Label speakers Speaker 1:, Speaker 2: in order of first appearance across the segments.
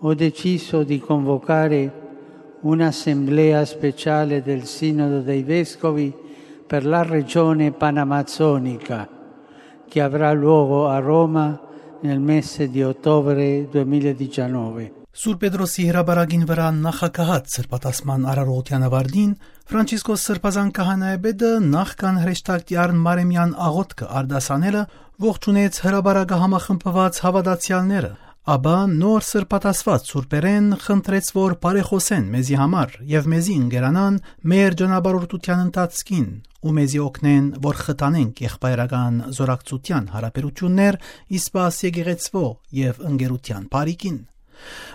Speaker 1: ho deciso di convocare un'assemblea speciale del Sinodo dei Vescovi per la regione panamazzonica che avrà luogo a Roma nel mese di ottobre 2019.
Speaker 2: Սուրբ Պետրոսի հրաբարագին վրա նախակահած սրբատասման արարողության ավարտին Ֆրանցիսկոս Սրբազան քահանայապետը նախքան հրեշտակտի Մարեմյան աղոթքը արդասանելը ողջունեց հրաբարագը համախմբված հավատացյալները, ապա նոր սրբատասված սուրբերեն խնդրեց, որ բարեխոսեն մեզի համար եւ մեզի ընկերանան մեր ճանապարհորդության ընթացքին ու մեզի օգնեն, որ խթանենք եղբայրական զորակցության հարաբերություններ իսպաս եկեղեցվո եւ ընկերության բարիկին։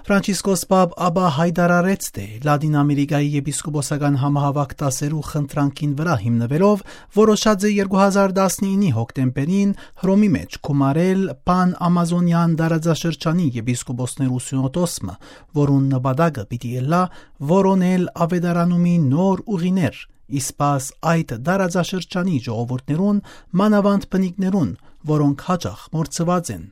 Speaker 2: Ֆրանցիսկոս Պապ ապա հայտարարեց, թե Լատին Ամերիկայի եպիսկոպոսական համահավաք դասերու խնդրանքին վրա հիմնվելով որոշած է 2019 հոկտեմբերին Հռոմի մեջ կոմարել Պան-Ամազոնյան դարաձաշրջանի եպիսկոպոսներու սյունոդոսը, որուն նպատակը պիտի ելլա որոնել ավետարանումի նոր ուղիներ, իսպաս այդ դարաձաշրջանի ժողովուրդներուն մանավանդ բնիկներուն, որոնք հաճախ մորցված են։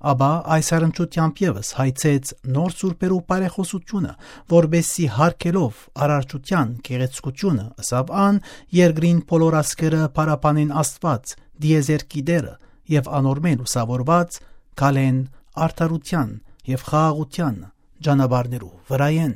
Speaker 2: Ապա այս առընչությամբ ևս հայցեց նոր սուրբերու բարեխոսությունը, որբեսի հարկելով արարչության գեղեցկությունը, ըսավ ան երկրին բոլոր ասկերը պարապանեն Աստված, դիեզերքի դերը եւ անորմեն ուսավորված կալեն արդարության եւ խաղաղության ճանապարհներու վրայեն։